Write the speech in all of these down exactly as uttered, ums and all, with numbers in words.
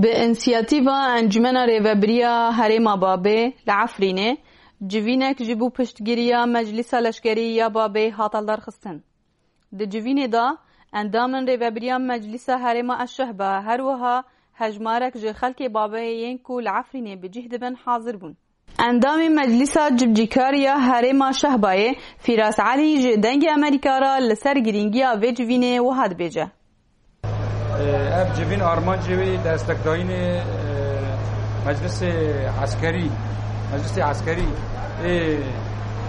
Bi însiyatîva Encûmena Rêvebiriya Herêma Babê li Efrînê civînek ji bo piştgiriya Meclîsa Leşkerî ya Babê hat aldarxistin. Di civînê de endamên Rêvebiriya Meclîsa Herêma Eşşehba, her wiha hejmarek ji xelkê Babê yên ku li Efrînê bi cih dibin hazir bûn. Endamê Meclîsa Cibcîkar ya Herêma Şehbayê Fîras Elî ji Dengê Amerîka re li ser girîngiya vê civînê wiha dibêje. Ev civîn armancê wî destekdayînê, e, Meclisê Eskerî, Meclisê Eskerî ê,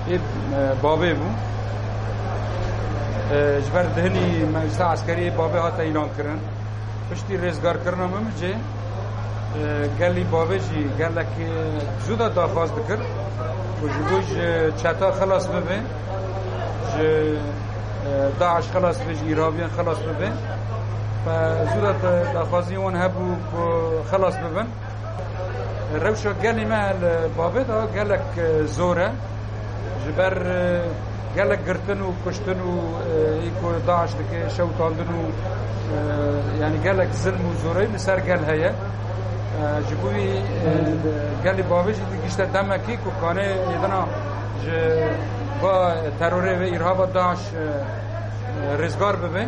ê, e, Babê bû. E, ji ber dihinî Meclisa Eskerî ê Babê hate îlankirin. Piştî rêzgarkirina Minbicê, e, gelî Babê jî gelek, e, zû de daxwaz dikir ku ji bo ji çeta xilas bibe, ji, e, DAIŞ xilas bibe, ji îrhabiyan xilas bibe. Fe zû de da-, daxwazî wan hebû ku xilas bibin. Rewşa gelê me li Babê de gelek, e, zor e. Ji ber, e, gelek girtin û kuştin û, e, ê ku DAIŞ dike, şewitandin û, e, yanî gelek zilm û zoreyî li ser gel heye. E, ji bo wî, e, gelê Babê jî digihîşte demekî ku kanê êdina ji va terorê ve îrhaba DAIŞ, e, rêzgar bibe.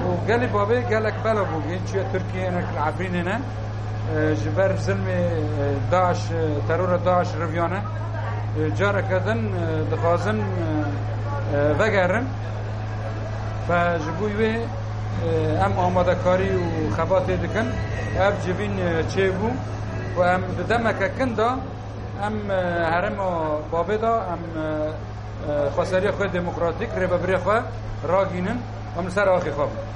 Û gelê Babê gelek bela bû, yên çûye Tirkiye, hinek li Efrînê ne. E, ji ber zilmê, e, DAIŞ, e, terora DAIŞ riviyane. E, careke din, e, dixwazin, e, e, vegerin. Fe ji bo wê, e, em amadekarî û xebatê dikin. Ev civîn, e, çêbû û em di demeke kin de em, e, herêma Babê de em, e, e, xweseriya xwe demokratîk, rêvebirê xwe ragînin, em li ser axê xwe bin.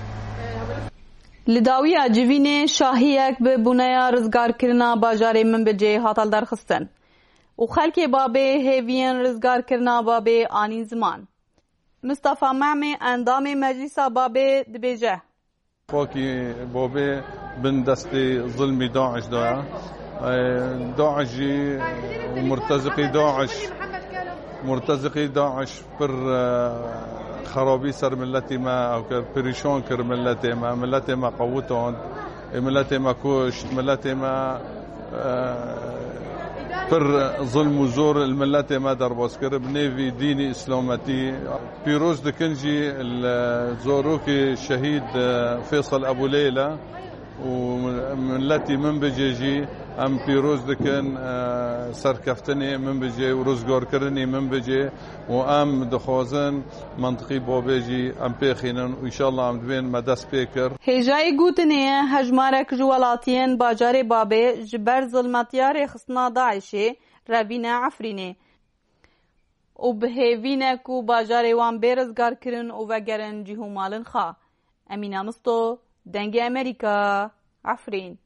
Li dawiya civînê şahiyek bi bûneya rizgarkirina bajarê Minbicê hat aldarxistin û xelkê Babê hêviyên rizgarkirina Babê anîn ziman. Mistefa Memê, endamê Meclîsa Babê, dibêje. Xakî Babê bin destê zilmî DAIŞ de ye. E, DAIŞ jî û murteziqî DAIŞ, murteziqî DAIŞ pir, e, xerabî ser miletî me ew kir, perîşan kir miletê me, miletê me qewitand, ê miletê me kuşt, miletê me, e, pir zilm û zor li miletê me derbas kir, bi nêvî dînî îslametî. Pîroz dikin jî li zarokê şehîd, e, Fêsal Ebû Leyla û miletî Minbicê jî em pîroz dikin, e, serkeftinê Minbicê û rizgarkirinê Minbicê û em dixwazin mentiqî Babê jî em pêxînin û înşallah em dibên me dest pê kir. Hêjayî gotinê ye, hejmarek ji welatiyên bajarê Babê ji ber zilmetiya rêxistina DAIŞê revîne Efrînê û bi hêvî ne ku bajarê wan bê rizgarkirin û vegerin cih û malên xwe. Emîna Misto, Dengê Amerîka, Efrîn.